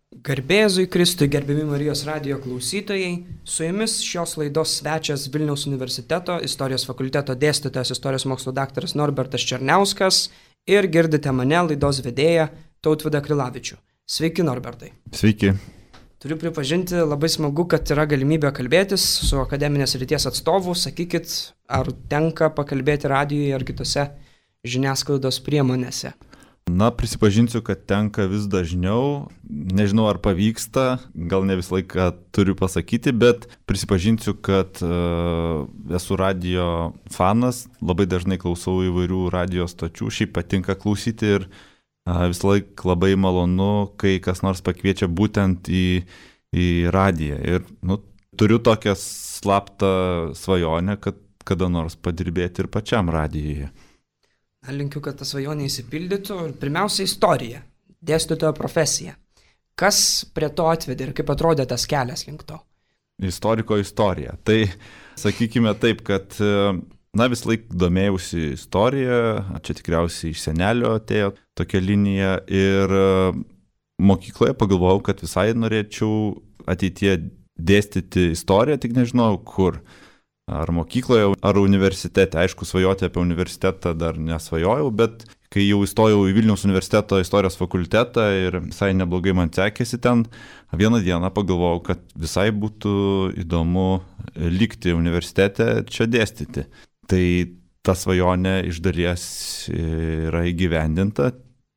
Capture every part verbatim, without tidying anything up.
Garbėzui Kristui, gerbiami Marijos radijo klausytojai, su jumis šios laidos svečias Vilniaus universiteto istorijos fakulteto dėstytojas istorijos mokslo daktaras Norbertas Černiauskas ir girdite mane laidos vedėją Tautvydą Krilavičių. Sveiki, Norbertai. Sveiki. Turiu pripažinti, labai smagu, kad yra galimybė kalbėtis su akademinės srities atstovu. Sakykit, ar tenka pakalbėti radijoje ar kitose žiniasklaidos priemonėse? Na, prisipažinsiu, kad tenka vis dažniau, nežinau ar pavyksta, gal ne visą laiką turiu pasakyti, bet prisipažinsiu, kad uh, esu radio fanas, labai dažnai klausau įvairių radio stočių, šiaip patinka klausyti ir uh, visą laiką labai malonu, kai kas nors pakviečia būtent į, į radiją. Ir nu, turiu tokią slaptą svajonę, kad kada nors padirbėti ir pačiam radijoje. Linkiu, kad ta svajonė įsipildytų. Pirmiausia, istorija, dėstytojo profesija. Kas prie to atvedė ir kaip atrodė tas kelias link to? Istoriko istorija. Tai sakykime taip, kad na, vis laik domėjausi istoriją, čia tikriausiai iš senelio atėjo tokia linija ir mokykloje pagalvojau, kad visai norėčiau ateityje dėstyti istoriją, tik nežinau kur. Ar mokykloje, ar universitete. Aišku, svajoti apie universitetą dar nesvajojau, bet kai jau įstojau į Vilniaus universiteto istorijos fakultetą ir visai neblogai man sekėsi ten, vieną dieną pagalvojau, kad visai būtų įdomu likti universitete čia dėstyti. Tai ta svajonė iš dalies yra įgyvendinta,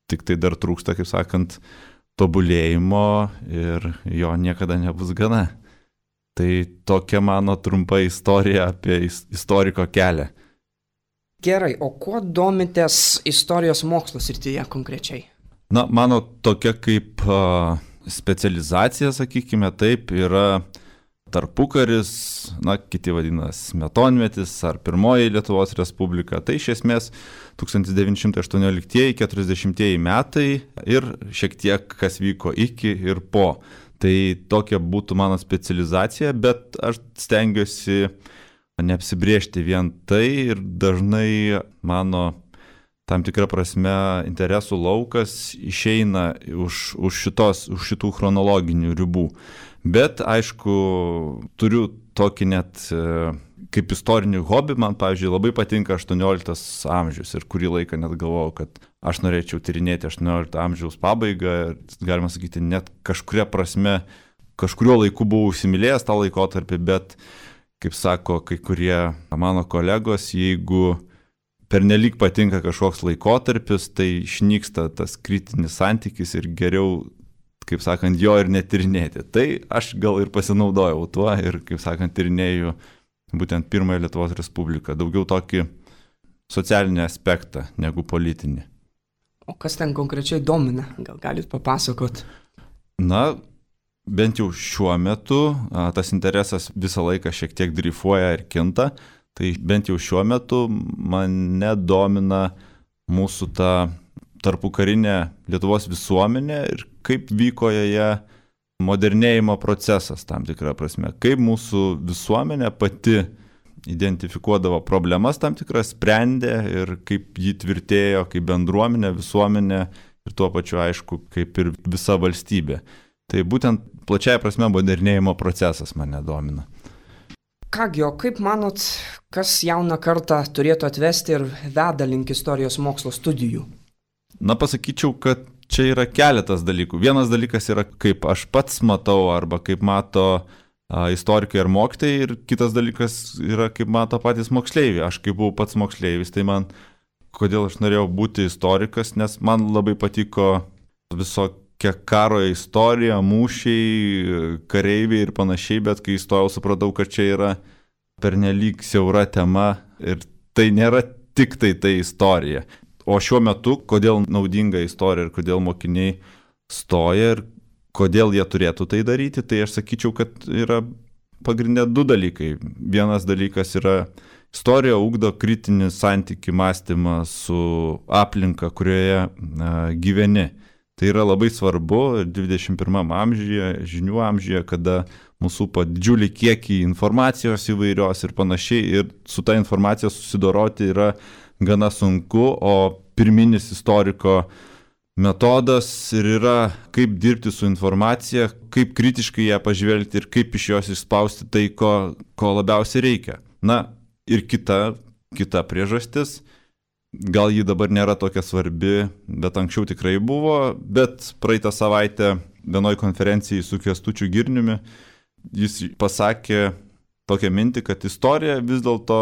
tik tai dar trūksta, kaip sakant, tobulėjimo ir jo niekada nebus gana. Tai tokia mano trumpa istorija apie istoriko kelią. Gerai, o kuo domitės istorijos mokslo srityje konkrečiai? Na, mano tokia kaip uh, specializacija, sakykime taip, yra tarpukaris, na, kiti vadina smetonmetis ar pirmoji Lietuvos Respublika. Tai iš esmės tūkstantis devyni šimtai aštuonioliktieji keturiasdešimtieji metai ir šiek tiek kas vyko iki ir po. Tai tokia būtų mano specializacija, bet aš stengiuosi neapsibriežti vien tai ir dažnai mano tam tikra prasme interesų laukas išeina už, už, šitos, už šitų chronologinių ribų. Bet aišku, turiu tokį net kaip istorinį hobį, man, pavyzdžiui, labai patinka aštuonioliktas amžius ir kurį laiką net galvojau, kad aš norėčiau tyrinėti aštuoniolikto amžiaus pabaigą ir, galima sakyti, net kažkuria prasme, kažkurio laiku buvau įsimylėjęs tą laikotarpį, bet, kaip sako kai kurie mano kolegos, jeigu pernelyg patinka kažkoks laikotarpis, tai išnyksta tas kritinis santykis ir geriau, kaip sakant, jo ir netyrinėti. Tai aš gal ir pasinaudojau tuo ir, kaip sakant, tyrinėjau būtent pirmąją Lietuvos Respubliką, daugiau tokį socialinį aspektą negu politinį. O kas ten konkrečiai domina? Gal galit papasakot? Na, bent jau šiuo metu tas interesas visą laiką šiek tiek dreifuoja ir kinta, tai bent jau šiuo metu mane domina mūsų ta tarpukarinė Lietuvos visuomenė ir kaip vyko joje modernėjimo procesas tam tikrą prasme, kaip mūsų visuomenė pati identifikuodavo problemas tam tikras, sprendė ir kaip jį tvirtėjo, kaip bendruomenė, visuomenė ir tuo pačiu aišku, kaip ir visa valstybė. Tai būtent plačiai prasme modernėjimo procesas mane domina. Kągi, o kaip manot, kas jauną kartą turėtų atvesti ir veda link istorijos mokslo studijų? Na, pasakyčiau, kad čia yra keletas dalykų. Vienas dalykas yra, kaip aš pats matau arba kaip mato a, istorikai ir mokytojai, ir kitas dalykas yra, kaip mato patys moksleiviai. Aš kaip buvau pats moksleivis, tai man, kodėl aš norėjau būti istorikas, nes man labai patiko visokia karo istorija, mūšiai, kareiviai ir panašiai, bet kai įstojau, supratau, kad čia yra pernelyg siaura tema ir tai nėra tik tai tai istorija. O šiuo metu, kodėl naudinga istorija ir kodėl mokiniai stoja ir kodėl jie turėtų tai daryti, tai aš sakyčiau, kad yra pagrindė du dalykai. Vienas dalykas yra istorija ugdo kritinį santykį mąstymą su aplinka, kurioje na, gyveni. Tai yra labai svarbu dvidešimt pirmam amžiuje, žinių amžiuje, kada mūsų po didžiulį kiekį informacijos įvairios ir panašiai, ir su ta informacija susidoroti yra gana sunku, o pirminis istoriko metodas ir yra, kaip dirbti su informacija, kaip kritiškai ją pažvelgti ir kaip iš jos išspausti tai, ko, ko labiausiai reikia. Na, ir kita, kita priežastis, gal ji dabar nėra tokia svarbi, bet anksčiau tikrai buvo, bet praeitą savaitę vienoj konferencijai su Kęstučiu Girniumi jis pasakė tokią mintį, kad istorija vis dėlto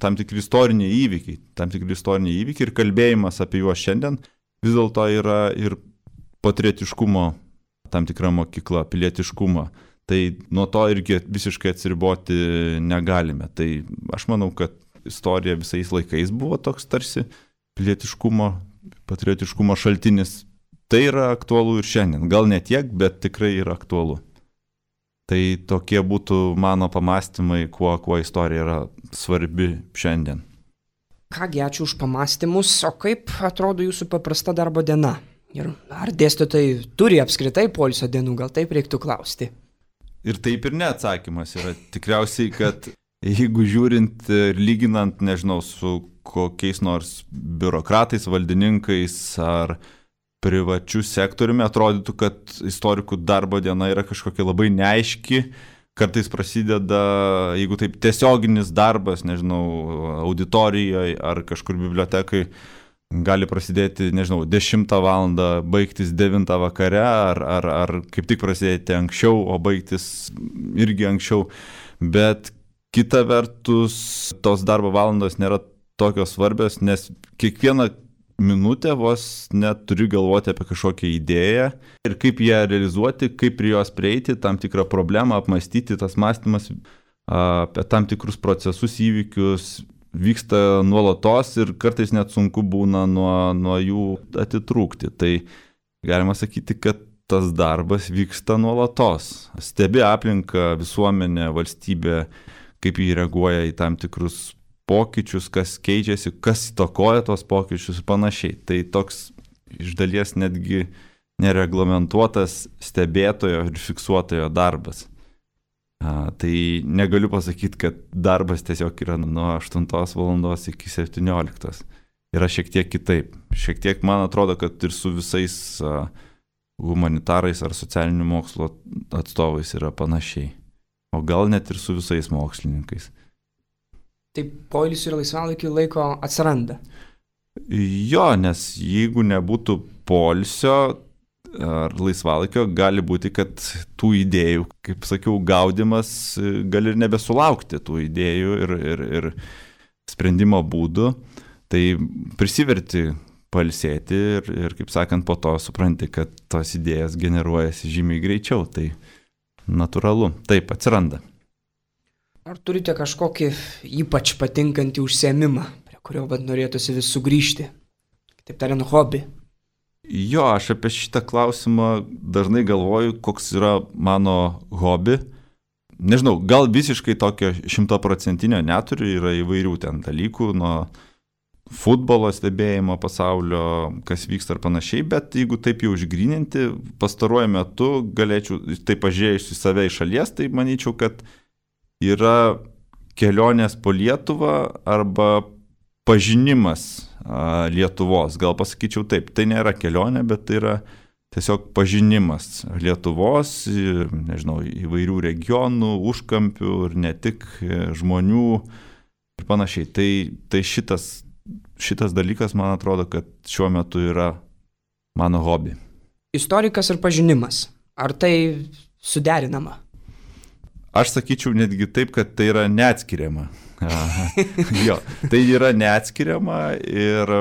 tam tikri istoriniai įvykiai, tam tikri istoriniai įvykiai ir kalbėjimas apie juos šiandien vis dėlto yra ir patriotiškumo tam tikra mokykla, pilietiškumo. Tai nuo to irgi visiškai atsiriboti negalime. Tai aš manau, kad istorija visais laikais buvo toks tarsi pilietiškumo, patriotiškumo šaltinis. Tai yra aktualu ir šiandien. Gal ne tiek, bet tikrai yra aktualu. Tai tokie būtų mano pamastymai, kuo, kuo istorija yra svarbi šiandien. Kągi, ačiū už pamastymus. O kaip atrodo jūsų paprasta darbo diena? Ir ar dėstytojai turi apskritai poilsio dienų? Gal taip reiktų klausti? Ir taip ir ne atsakymas yra. Tikriausiai, kad jeigu žiūrint ir lyginant, nežinau, su kokiais nors biurokratais, valdininkais ar privačių sektoriumi, atrodytų, kad istorikų darbo diena yra kažkokia labai neaiški. Kartais prasideda, jeigu taip tiesioginis darbas, nežinau, auditorijoje ar kažkur bibliotekai, gali prasidėti, nežinau, dešimtą valandą, baigtis devintą vakare, ar, ar, ar kaip tik prasidėti anksčiau, o baigtis irgi anksčiau. Bet kita vertus, tos darbo valandos nėra tokios svarbios, nes kiekvieną minutę vos net turi galvoti apie kažkokią idėją ir kaip ją realizuoti, kaip prie jos prieiti, tam tikrą problemą apmastyti, tas mąstymas apie tam tikrus procesus, įvykius vyksta nuolatos ir kartais net sunku būna nuo, nuo jų atitrūkti. Tai galima sakyti, kad tas darbas vyksta nuolatos. Stebi aplinką, visuomenę, valstybę, kaip jį reaguoja į tam tikrus pokyčius, kas keičiasi, kas įtakoja tos pokyčius ir panašiai. Tai toks iš dalies netgi nereglamentuotas stebėtojo ir fiksuotojo darbas. A, tai negaliu pasakyti, kad darbas tiesiog yra nuo aštuntos valandos iki septynioliktos. Yra šiek tiek kitaip. Šiek tiek man atrodo, kad ir su visais a, humanitarais ar socialinių mokslo atstovais yra panašiai. O gal net ir su visais mokslininkais. Tai poilsių ir laisvalaikių laiko atsiranda. Jo, nes jeigu nebūtų poilsio ar laisvalaikio, gali būti, kad tų idėjų, kaip sakiau, gaudimas gali ir nebesulaukti tų idėjų ir, ir, ir sprendimo būdų. Tai prisiverti pailsėti ir, ir, kaip sakant, po to supranti, kad tos idėjas generuojasi žymiai greičiau. Tai natūralu, taip atsiranda. Ar turite kažkokį ypač patinkantį užsiėmimą, prie kurio vad norėtųsi vis sugrįžti? Taip tariant, hobį. Jo, aš apie šitą klausimą dažnai galvoju, koks yra mano hobi. Nežinau, gal visiškai tokio šimtaprocentinio neturiu, yra įvairių ten dalykų, nuo futbolo stebėjimo pasaulio, kas vyksta ar panašiai, bet jeigu taip jau išgryninti, pastaruoju metu galėčiau, tai pažiūrėjus į save iš šalies, tai manyčiau, kad yra kelionės po Lietuvą arba pažinimas a, Lietuvos. Gal pasakyčiau taip, tai nėra kelionė, bet tai yra tiesiog pažinimas Lietuvos, nežinau, įvairių regionų, užkampių ir ne tik žmonių ir panašiai. Tai, tai šitas, šitas dalykas, man atrodo, kad šiuo metu yra mano hobi. Istorikas ir pažinimas. Ar tai suderinama? Aš sakyčiau netgi taip, kad tai yra neatskiriama. Jo, tai yra neatskiriama ir,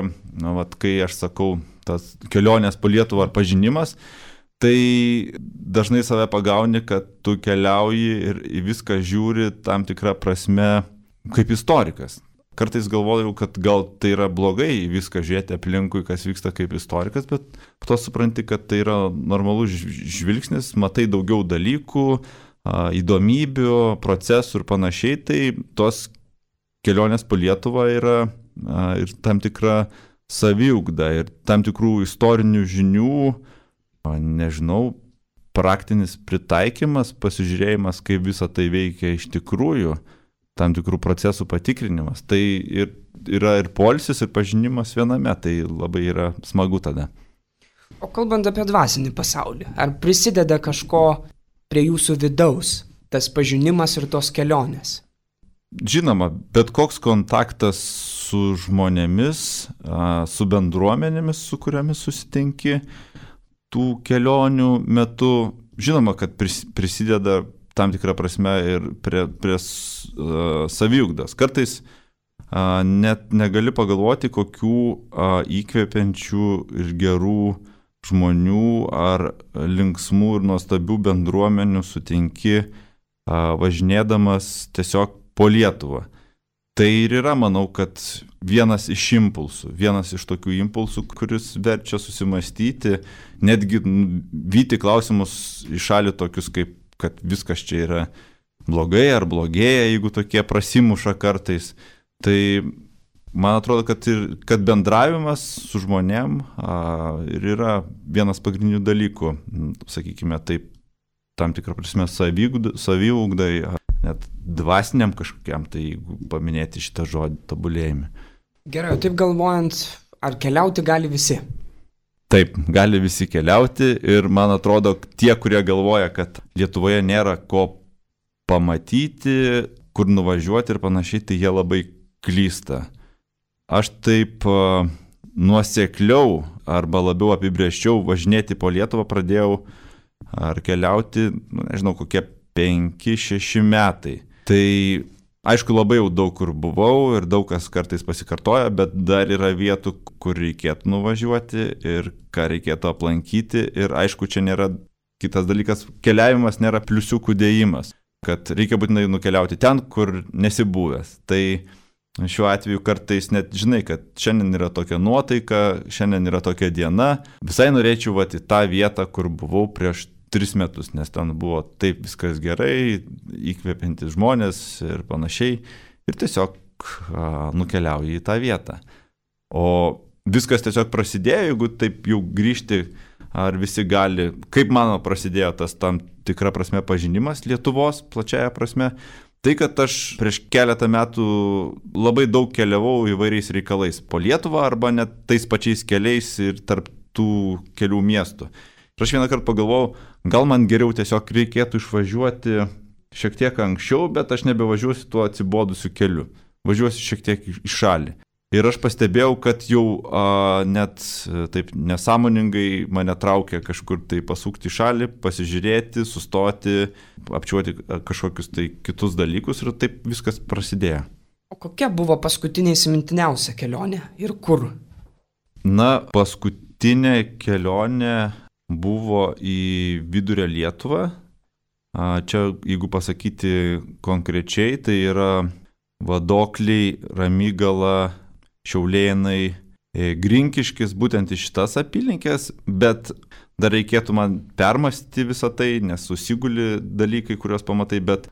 na, vat, kai aš sakau, tas kelionės po Lietuvą ar pažinimas, tai dažnai save pagauni, kad tu keliauji ir į viską žiūri tam tikrą prasme kaip istorikas. Kartais galvodavau, kad gal tai yra blogai viską žiūrėti aplinkui, kas vyksta kaip istorikas, bet po to supranti, kad tai yra normalus žvilgsnis, matai daugiau dalykų, įdomybių, procesų ir panašiai, tai tos kelionės po Lietuvą yra ir tam tikra saviugda ir tam tikrų istorinių žinių, nežinau, praktinis pritaikymas, pasižiūrėjimas, kaip visa tai veikia iš tikrųjų, tam tikrų procesų patikrinimas. Tai ir, yra ir poilsis, ir pažinimas viename, tai labai yra smagu tada. O kalbant apie dvasinį pasaulį, ar prisideda kažko prie jūsų vidaus, tas pažinimas ir tos kelionės? Žinoma, bet koks kontaktas su žmonėmis, su bendruomenėmis, su kuriamis susitinki tų kelionių metu, žinoma, kad prisideda tam tikrą prasme ir prie, prie uh, saviugdos. Kartais uh, net negali pagalvoti, kokių uh, įkvepiančių ir gerų žmonių ar linksmų ir nuostabių bendruomenių sutinki uh, važinėdamas tiesiog po Lietuvą. Tai ir yra, manau, kad vienas iš impulsų, vienas iš tokių impulsų, kuris verčia susimastyti, netgi vyti klausimus į šalį tokius, kaip, kad viskas čia yra blogai ar blogėja, jeigu tokie prasimuša kartais. Tai man atrodo, kad, ir, kad bendravimas su žmonėm a, ir yra vienas pagrindinių dalykų, sakykime, taip, tam tikrą prasme saviugdai, net dvasiniam kažkokiam, tai jeigu paminėti šitą žodį tobulėjimą. Gerai, taip galvojant, ar keliauti gali visi? Taip, gali visi keliauti ir man atrodo, tie, kurie galvoja, kad Lietuvoje nėra ko pamatyti, kur nuvažiuoti ir panašiai, tai jie labai klysta. Aš taip uh, nuosekliau arba labiau apibrėžčiau važinėti po Lietuvą pradėjau ar keliauti, nu, nežinau, kokie penki šeši metai. Tai aišku, labai jau daug kur buvau ir daug kas kartais pasikartoja, bet dar yra vietų, kur reikėtų nuvažiuoti ir ką reikėtų aplankyti. Ir aišku, čia nėra kitas dalykas, keliavimas nėra pliusiukų dėjimas, kad reikia būtinai nukeliauti ten, kur nesi buvęs. Tai šiuo atveju kartais net žinai, kad šiandien yra tokia nuotaika, šiandien yra tokia diena. Visai norėčiau vat, į tą vietą, kur buvau prieš tris metus, nes ten buvo taip viskas gerai, įkvepiantys žmonės ir panašiai. Ir tiesiog a, nukeliauji į tą vietą. O viskas tiesiog prasidėjo, jeigu taip jau grįžti, ar visi gali, kaip mano prasidėjo tas tam tikra prasme pažinimas Lietuvos, plačiaja prasme, tai kad aš prieš keletą metų labai daug keliavau įvairiais reikalais po Lietuvą arba net tais pačiais keliais ir tarp tų kelių miestų. Ir aš vieną kartą pagalvojau, gal man geriau tiesiog reikėtų išvažiuoti šiek tiek anksčiau, bet aš nebevažiuosiu tuo atsibodusiu keliu. Važiuosiu šiek tiek į šalį. Ir aš pastebėjau, kad jau a, net taip nesąmoningai mane traukia kažkur tai pasukti į šalį, pasižiūrėti, sustoti, apčiuoti kažkokius tai kitus dalykus ir taip viskas prasidėjo. O kokia buvo paskutinė įsimintiniausia kelionė ir kur? Na, paskutinė kelionė buvo į Vidurio Lietuvą. Čia, jeigu pasakyti konkrečiai, tai yra Vadokliai, Ramygala, Šiaulėnai, Grinkiškis, būtent iš šitas apylinkės, bet dar reikėtų man permastyti visą tai, nes susiguli dalykai, kuriuos pamatai, bet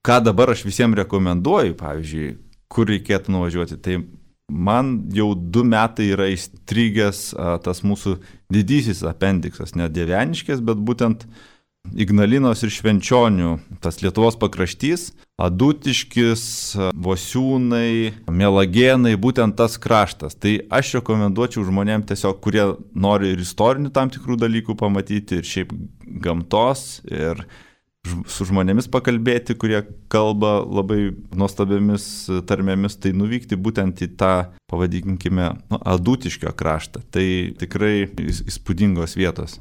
ką dabar aš visiems rekomenduoju, pavyzdžiui, kur reikėtų nuvažiuoti, tai man jau du metai yra įstrigęs a, tas mūsų didysis apendiksas, ne Dieveniškės, bet būtent Ignalinos ir Švenčionių, tas Lietuvos pakraštys, Adutiškis, Vosiūnai, Mielagėnai, būtent tas kraštas. Tai aš rekomenduočiau žmonėms tiesiog, kurie nori ir istorinių tam tikrų dalykų pamatyti, ir šiaip gamtos, ir su žmonėmis pakalbėti, kurie kalba labai nuostabiamis tarmėmis, tai nuvykti būtent į tą, pavadinkime, nu, Adutiškio kraštą. Tai tikrai įspūdingos vietos.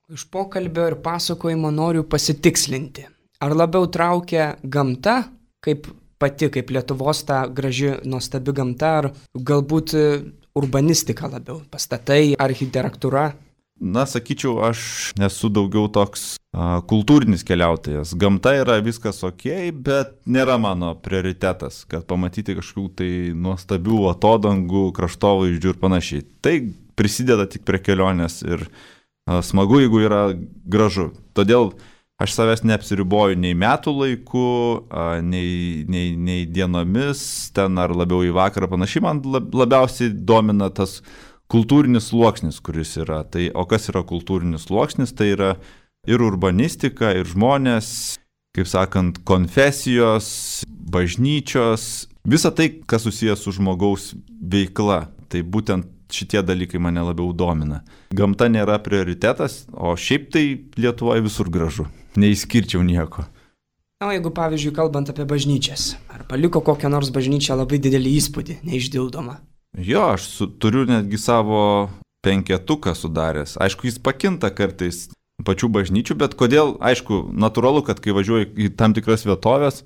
Iš pokalbio ir pasakojimo noriu pasitikslinti. Ar labiau traukia gamta, kaip pati, kaip Lietuvos ta graži, nuostabi gamta, ar galbūt urbanistika labiau, pastatai, architektūra? Na, sakyčiau, aš nesu daugiau toks a, kultūrinis keliautojas. Gamta yra viskas ok, bet nėra mano prioritetas, kad pamatyti kažkokių tai nuostabių atodangų, kraštovaizdžių ir panašiai. Tai prisideda tik prie kelionės ir a, smagu, jeigu yra gražu. Todėl aš savęs neapsiriboju nei metų laiku, a, nei, nei, nei dienomis, ten ar labiau į vakarą panašiai. Man labiausiai domina tas kultūrinis sluoksnis, kuris yra. Tai, o kas yra kultūrinis sluoksnis? Tai yra ir urbanistika, ir žmonės, kaip sakant, konfesijos, bažnyčios, visa tai, kas susijęs su žmogaus veikla. Tai būtent šitie dalykai mane labiau domina. Gamta nėra prioritetas, o šiaip tai Lietuvoje visur gražu. Neįskirčiau nieko. Na, jeigu pavyzdžiui kalbant apie bažnyčias, ar paliko kokią nors bažnyčią labai didelį įspūdį, neišdildomą? Jo, aš su, turiu netgi savo penketuką sudaręs. Aišku, jis pakinta kartais pačių bažnyčių, bet kodėl, aišku, natūralu, kad kai važiuoju į tam tikras vietovės,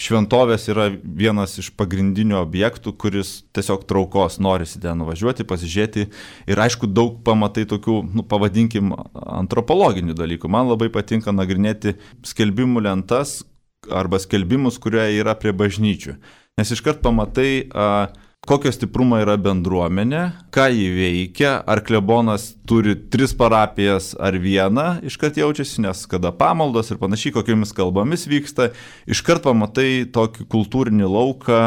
šventovės yra vienas iš pagrindinių objektų, kuris tiesiog traukos norisi ten nuvažiuoti, pasižiūrėti ir aišku, daug pamatai tokių, nu, pavadinkim, antropologinių dalykų. Man labai patinka nagrinėti skelbimų lentas arba skelbimus, kurie yra prie bažnyčių. Nes iškart pamatai, a, kokio stiprumo yra bendruomenė, ką jį veikia, ar klebonas turi tris parapijas ar vieną, iškart jaučiasi, nes kada pamaldos ir panašiai, kokiamis kalbomis vyksta, iškart pamatai tokį kultūrinį lauką,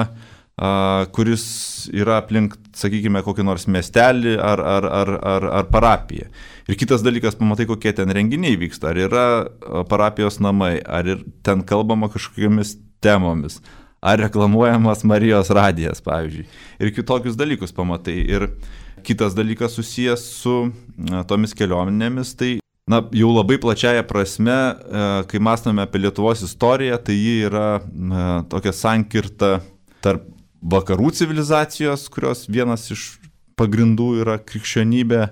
a, kuris yra aplink, sakykime, kokį nors miestelį ar, ar, ar, ar, ar parapiją. Ir kitas dalykas, pamatai, kokie ten renginiai vyksta, ar yra parapijos namai, ar ir ten kalbama kažkokiamis temomis. Ar reklamuojamas Marijos radijas, pavyzdžiui. Ir kitokius dalykus pamatai. Ir kitas dalykas susijęs su na, tomis kelionėmis, tai na, jau labai plačiaja prasme, kai mąstame apie Lietuvos istoriją, tai ji yra na, tokia sankirta tarp vakarų civilizacijos, kurios vienas iš pagrindų yra krikščionybė,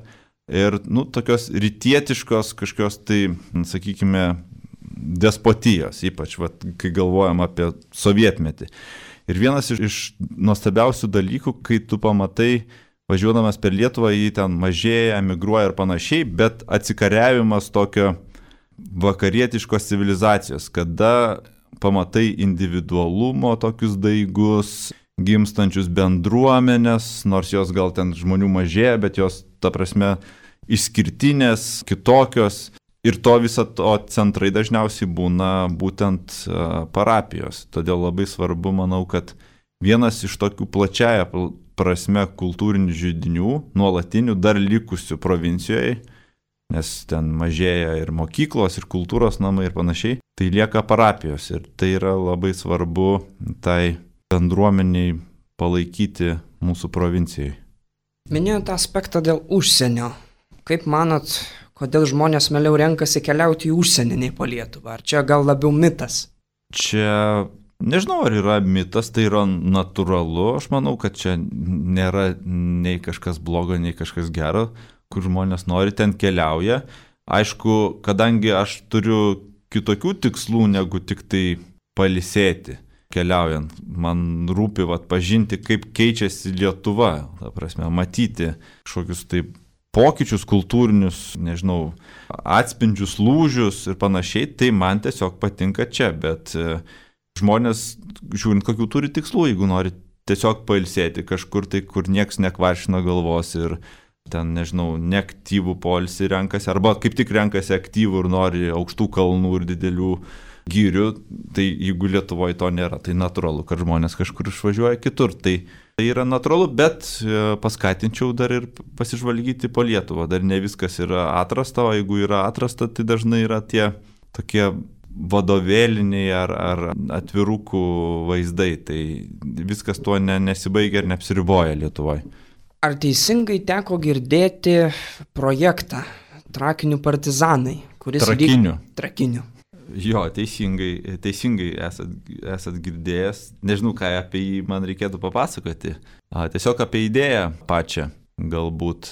ir nu, tokios rytietiškos kažkokios tai, sakykime, despotijos, ypač vat, kai galvojam apie sovietmetį. Ir vienas iš, iš nuostabiausių dalykų, kai tu pamatai, važiuodamas per Lietuvą, jį ten mažėja, emigruoja ir panašiai, bet atsikariavimas tokio vakarietiškos civilizacijos, kada pamatai individualumo tokius daigus, gimstančius bendruomenės, nors jos gal ten žmonių mažėja, bet jos, ta prasme, išskirtinės, kitokios. Ir to viso to centrai dažniausiai būna būtent parapijos. Todėl labai svarbu, manau, kad vienas iš tokių plačiaja prasme kultūrinių židinių, nuolatinių, dar likusių provincijoje, nes ten mažėja ir mokyklos, ir kultūros namai ir panašiai, tai lieka parapijos. Ir tai yra labai svarbu tai bendruomeniai palaikyti mūsų provincijai. Minėjote aspektą dėl užsienio. Kaip manot, kodėl žmonės mieliau renkasi keliauti į užsienį nei po Lietuvą? Ar čia gal labiau mitas? Čia, nežinau, ar yra mitas, tai yra natūralu. Aš manau, kad čia nėra nei kažkas blogo, nei kažkas gero, kur žmonės nori, ten keliauja. Aišku, kadangi aš turiu kitokių tikslų, negu tik tai pailsėti keliaujant. Man rūpi vat, pažinti, kaip keičiasi Lietuva, ta prasme, matyti kažkokius taip pokyčius kultūrinius, nežinau, atspindžius, lūžius ir panašiai, tai man tiesiog patinka čia, bet žmonės, žiūrint, kokių turi tikslų, jeigu nori tiesiog pailsėti kažkur, tai kur nieks nekvaršina galvos ir ten, nežinau, neaktyvų poilsį renkasi, arba kaip tik renkasi aktyvų ir nori aukštų kalnų ir didelių gyrių, tai jeigu Lietuvoje to nėra, tai natūralu, kad žmonės kažkur išvažiuoja kitur. Tai, tai yra natūralu, bet paskatinčiau dar ir pasižvalgyti po Lietuvą. Dar ne viskas yra atrasta, o jeigu yra atrasta, tai dažnai yra tie tokie vadovėliniai ar, ar atvirukų vaizdai. Tai viskas tuo ne, nesibaigia ir neapsiriboja Lietuvoje. Ar teisingai teko girdėti projektą Trakinių partizanai? Kuris Trakinių. Lyg... Trakinių. Jo, teisingai, teisingai esat, esat girdėjęs. Nežinau, ką apie jį man reikėtų papasakoti. A, tiesiog apie idėją pačią, galbūt.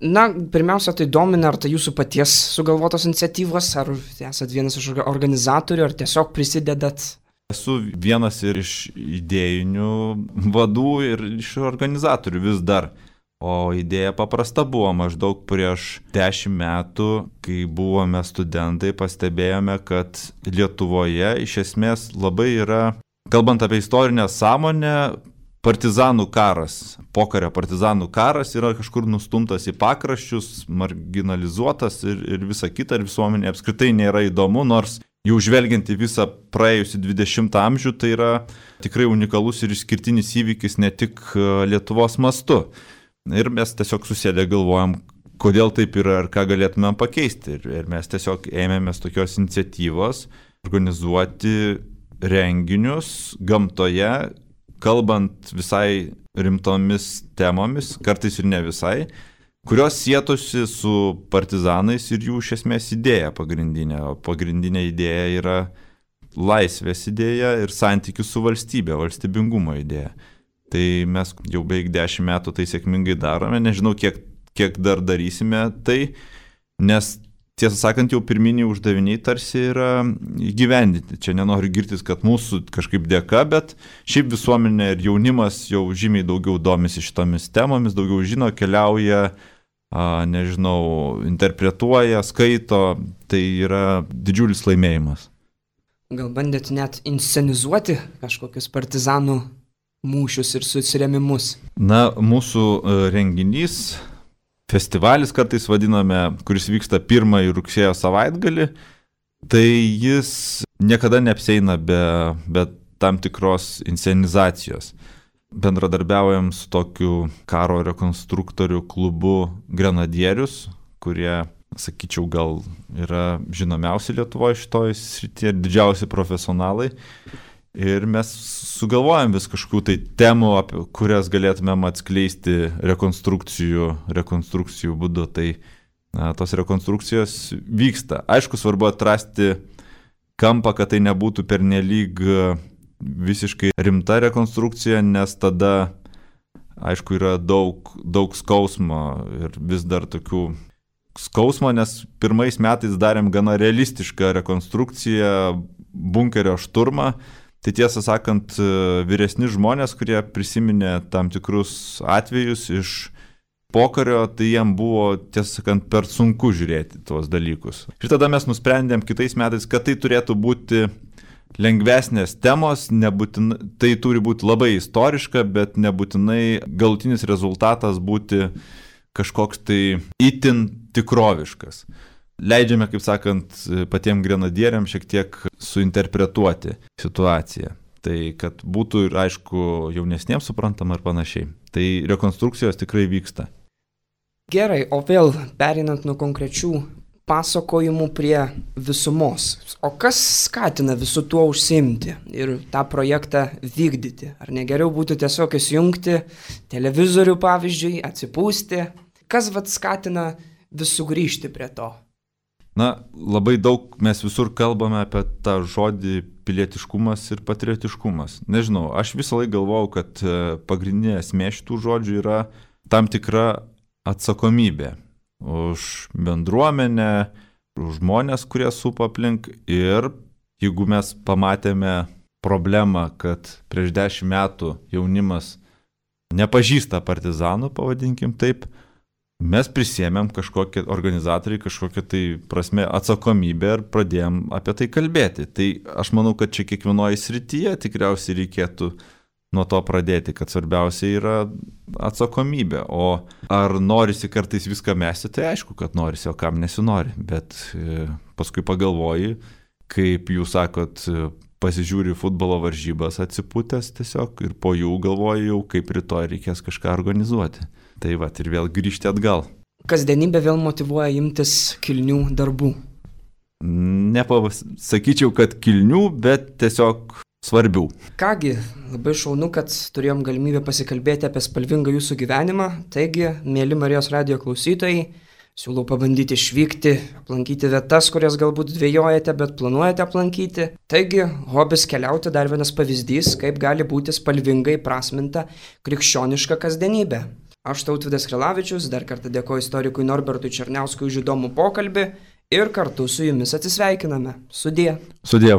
Na, pirmiausia, tai domina, ar tai jūsų paties sugalvotos iniciatyvos, ar esat vienas iš organizatorių, ar tiesiog prisidedat? Esu vienas ir iš idėjinių vadų ir iš organizatorių vis dar. O idėja paprasta buvo. Maždaug prieš dešimt metų, kai buvome studentai, pastebėjome, kad Lietuvoje iš esmės labai yra, kalbant apie istorinę sąmonę, partizanų karas, pokario partizanų karas yra kažkur nustumtas į pakraščius, marginalizuotas ir, ir visa kita, ir visuomenė apskritai nėra įdomu, nors jau žvelgiant į visą praėjusį dvidešimtą amžių, tai yra tikrai unikalus ir išskirtinis įvykis ne tik Lietuvos mastu. Ir mes tiesiog susėdę galvojam, kodėl taip yra ir ką galėtumėm pakeisti. Ir, ir mes tiesiog ėmėmės tokios iniciatyvos organizuoti renginius gamtoje, kalbant visai rimtomis temomis, kartais ir ne visai, kurios sietosi su partizanais ir jų iš esmės idėja pagrindinė. O pagrindinė idėja yra laisvės idėja ir santykių su valstybė, valstybingumo idėja. Tai mes jau beveik dešimt metų tai sėkmingai darome, nežinau, kiek, kiek dar darysime tai, nes tiesą sakant, jau pirminiai uždaviniai tarsi yra įgyvendinti. Čia nenoriu girtis, kad mūsų kažkaip dėka, bet šiaip visuomenė ir jaunimas jau žymiai daugiau domisi šitomis temomis, daugiau žino, keliauja, a, nežinau, interpretuoja, skaito, tai yra didžiulis laimėjimas. Gal bandėt net inscenizuoti kažkokius partizanų mūšius ir susirėmimus? Na, mūsų renginys, festivalis kartais vadiname, kuris vyksta pirmąjį rugsėjo savaitgalį, tai jis niekada neapseina be, be tam tikros inscenizacijos. Bendradarbiaujam su tokiu karo rekonstruktorių klubu Grenadierius, kurie, sakyčiau, gal yra žinomiausi Lietuvoje šitoje srityje, didžiausi profesionalai. Ir mes sugalvojam vis kažkokių tai temų, apie kurias galėtumėm atskleisti rekonstrukcijų, rekonstrukcijų būdu. Tai na, tos rekonstrukcijos vyksta. Aišku, svarbu atrasti kampą, kad tai nebūtų pernelyg visiškai rimta rekonstrukcija, nes tada, aišku, yra daug, daug skausmo ir vis dar tokių skausmo, nes pirmais metais darėm gana realistišką rekonstrukciją, bunkerio šturmą. Tai tiesą sakant, vyresni žmonės, kurie prisiminė tam tikrus atvejus iš pokario, tai jiem buvo, tiesą sakant, per sunku žiūrėti tuos dalykus. Ir tada mes nusprendėm kitais metais, kad tai turėtų būti lengvesnės temos, nebūtinai, tai turi būti labai istoriška, bet nebūtinai galutinis rezultatas būti kažkoks tai itin tikroviškas. Leidžiame, kaip sakant, patiem grenadieriam šiek tiek suinterpretuoti situaciją. Tai kad būtų ir, aišku, jaunesniems suprantama ir panašiai. Tai rekonstrukcijos tikrai vyksta. Gerai, o vėl perinant nuo konkrečių pasakojimų prie visumos. O kas skatina visų tuo užsiimti ir tą projektą vykdyti? Ar negeriau būtų tiesiog įsijungti televizorių, pavyzdžiui, atsipūsti? Kas vat skatina vis sugrįžti prie to? Na, labai daug mes visur kalbame apie tą žodį pilietiškumas ir patriotiškumas. Nežinau, aš visą laiką galvojau, kad pagrindinė esmė šitų žodžių yra tam tikra atsakomybė už bendruomenę, už žmonės, kurie supa aplink. Ir jeigu mes pamatėme problemą, kad prieš dešimt metų jaunimas nepažįsta partizanų, pavadinkim taip, mes prisėmėm kažkokie organizatoriai, kažkokią tai prasme atsakomybę ir pradėjom apie tai kalbėti. Tai aš manau, kad čia kiekvienoje srityje tikriausiai reikėtų nuo to pradėti, kad svarbiausia yra atsakomybė. O ar norisi kartais viską mesti, tai aišku, kad norisi, o kam nesinori. Bet paskui pagalvoji, kaip jūs sakot, pasižiūri futbolo varžybas atsipūtęs tiesiog ir po jų galvoji jau, kaip rytoj reikės kažką organizuoti. Tai va, ir vėl grįžti atgal. Kasdienybė vėl motyvuoja imtis kilnių darbų. Nepasakyčiau, kad kilnių, bet tiesiog svarbių. Kągi, labai šaunu, kad turėjom galimybę pasikalbėti apie spalvingą jūsų gyvenimą. Taigi, mėly Marijos radijo klausytojai, siūlau pabandyti išvykti, aplankyti vietas, kurias galbūt dvejojate, bet planuojate aplankyti. Taigi, hobis keliauti dar vienas pavyzdys, kaip gali būti spalvingai prasminta krikščioniška kasdienybė. Aš Tautvydas Krilavičius, dar kartą dėkoju istorikui Norbertui Černiauskui už įdomų pokalbį ir kartu su jumis atsisveikiname. Sudie. Sudie.